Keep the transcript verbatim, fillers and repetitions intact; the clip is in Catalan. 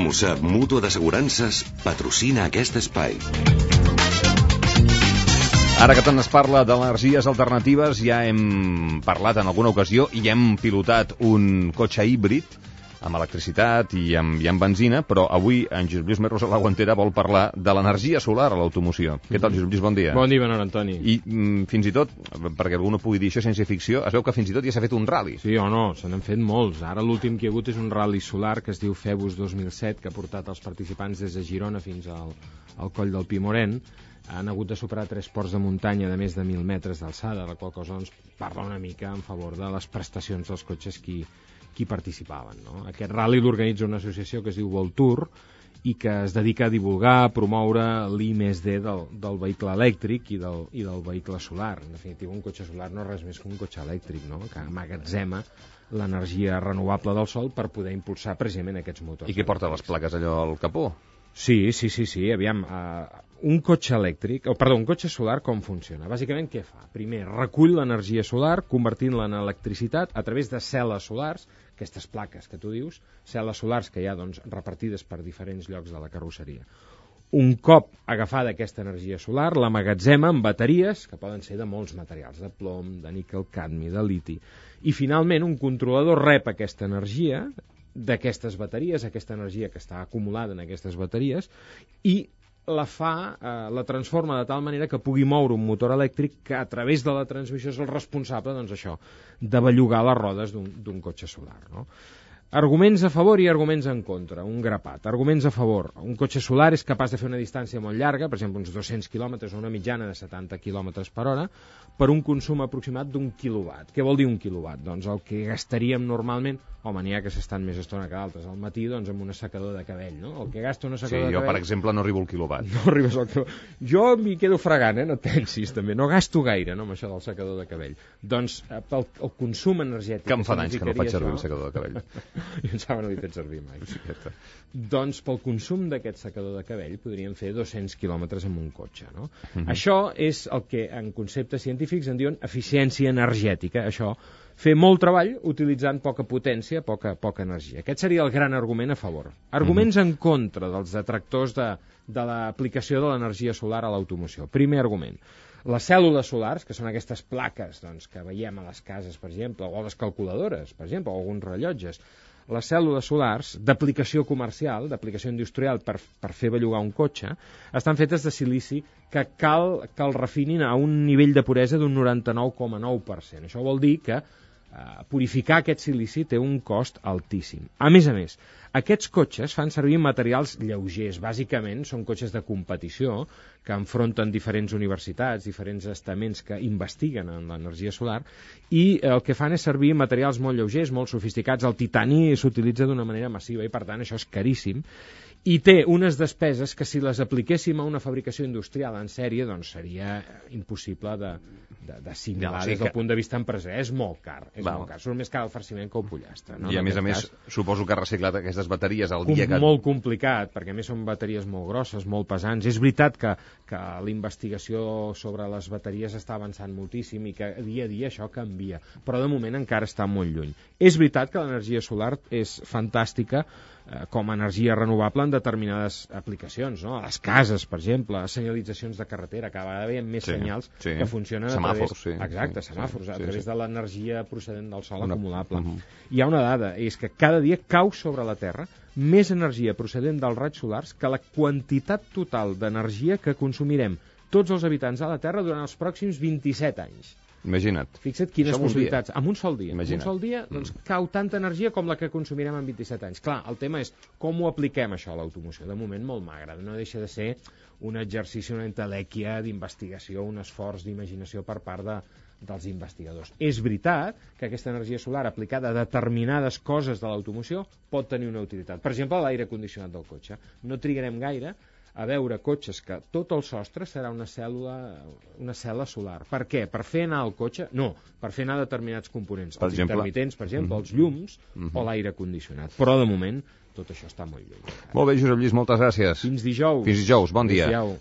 Mussab, mútua d'assegurances, patrocina aquest espai. Ara que tant es parla d'energies alternatives, ja hem parlat en alguna ocasió i hem pilotat un cotxe híbrid amb electricitat i amb, i amb benzina, però avui en Josep Lluís Merlos a la Guantera vol parlar de l'energia solar a l'automoció. Mm-hmm. Què tal, Josep Lluís? Bon dia. Bon dia, Benor Antoni. I mm, fins i tot, perquè algú no pugui dir això ciència-ficció, es veu que fins i tot ja s'ha fet un rally. Sí o no, se n'han fet molts. Ara l'últim que hi ha hagut és un rally solar que es diu Febus dos mil set, que ha portat els participants des de Girona fins al, al coll del Pimoren. Han hagut de superar tres ports de muntanya de més de mil metres d'alçada, la qual cosa ens parla una mica en favor de les prestacions dels cotxes qui, qui participaven, no? Aquest rally l'organitza una associació que es diu Voltour i que es dedica a divulgar, a promoure l'I més D del, del vehicle elèctric i del, i del vehicle solar. En definitiva, un cotxe solar no és res més que un cotxe elèctric, no? Que amagatzema l'energia renovable del sol per poder impulsar precisament aquests motors. I què porta les plaques allò al capó? Sí, sí, sí, sí, aviam, uh, un cotxe elèctric, o perdó, un cotxe solar com funciona? Bàsicament què fa? Primer, recull l'energia solar convertint-la en electricitat a través de cel·les solars, aquestes plaques que tu dius, cel·les solars que hi ha doncs, repartides per diferents llocs de la carrosseria. Un cop agafada aquesta energia solar, l'amagatzema en bateries, que poden ser de molts materials, de plom, de níquel, cadmi, de liti, i finalment un controlador rep aquesta energia d'aquestes bateries, aquesta energia que està acumulada en aquestes bateries, i la fa, eh, la transforma de tal manera que pugui moure un motor elèctric que a través de la transmissió és el responsable, doncs això, de bellugar les rodes d'un cotxe solar, no? Arguments a favor i arguments en contra, un grapat. Arguments a favor, un cotxe solar és capaç de fer una distància molt llarga, per exemple uns dos-cents quilòmetres o una mitjana de setanta quilòmetres per hora, per un consum aproximat d'un quilowatt. Què vol dir un quilowatt? Doncs el que gastaríem normalment, home, n'hi ha que s'estan més estona que d'altres, al matí doncs amb un assecador de cabell, no? El que gasta un assecador sí, de jo, cabell... per exemple, no arribo al quilowatt. No arribes al quilowatt. Jo m'hi quedo fregant, eh? No et pensis, també. No gasto gaire, no, amb això del secador de cabell. Doncs el, el consum energètic... Que em fa d'anys que no faig servir això... el secador de cabell. Jo em sembla que no l'he fet servir mai. Sí, doncs pel consum d'aquest secador de cabell podríem fer dos-cents quilòmetres amb un cotxe, no? Mm-hmm. Això és el que en conceptes científics en diuen eficiència energètica, això, fer molt treball utilitzant poca potència, poca, poca energia. Aquest seria el gran argument a favor. Arguments mm-hmm. en contra dels detractors de, de l'aplicació de l'energia solar a l'automoció. Primer argument. Les cèl·lules solars, que són aquestes plaques doncs, que veiem a les cases, per exemple, o a les calculadores, per exemple, o alguns rellotges, les cèl·lules solars d'aplicació comercial, d'aplicació industrial per, per fer bellugar un cotxe, estan fetes de silici que cal que el refinin a un nivell de puresa d'un noranta-nou coma nou per cent. Això vol dir que eh, purificar aquest silici té un cost altíssim. A més a més, aquests cotxes fan servir materials lleugers. Bàsicament són cotxes de competició que enfronten diferents universitats, diferents estaments que investiguen en l'energia solar i el que fan és servir materials molt lleugers, molt sofisticats. El titani s'utilitza d'una manera massiva i per tant això és caríssim i té unes despeses que si les apliquéssim a una fabricació industrial en sèrie doncs seria impossible de, de, d'assimilar no, sí des del que... punt de vista empresarial. És molt car, és Val. molt car. Surt més car el farciment que el pollastre. No? I a en més a més, cas, suposo que ha reciclat aquestes bateries el dia que... Molt complicat, perquè a més són bateries molt grosses, molt pesants. És veritat que, que la investigació sobre les bateries està avançant moltíssim i que dia a dia això canvia, però de moment encara està molt lluny. És veritat que l'energia solar és fantàstica eh, com a energia renovable en determinades aplicacions, no? A les cases, per exemple, a senyalitzacions de carretera, cada vegada veiem més sí, senyals sí. que funcionen semàfors, a través... Sí, Exacte, sí, semàfors, sí, a través sí. de l'energia procedent del sol Una... acumulable. Uh-huh. Hi ha una dada, és que cada dia cau sobre la Terra més energia procedent dels raigs solars que la quantitat total d'energia que consumirem tots els habitants de la Terra durant els pròxims vint-i-set anys. Imagina't. Fixa't quines Això possibilitats. En un sol dia. Imagina't. En un sol dia doncs, mm. cau tanta energia com la que consumirem en vint-i-set anys. Clar, el tema és com ho apliquem això a l'automoció. De moment molt magre. No deixa de ser un exercici, una entelèquia d'investigació, un esforç d'imaginació per part de, dels investigadors. És veritat que aquesta energia solar aplicada a determinades coses de l'automoció pot tenir una utilitat. Per exemple, l'aire condicionat del cotxe. No trigarem gaire a veure cotxes que tot el sostre serà una cèl·lula, una cel·la solar. Per què? Per fer anar el cotxe? No, per fer anar determinats components. Per els exemple? intermitents, per exemple, mm-hmm. els llums mm-hmm. o l'aire condicionat. Però de moment tot això està molt lluny. Molt bé, Josep Lluís, moltes gràcies. Fins dijous. Fins dijous, bon dia. Adéu.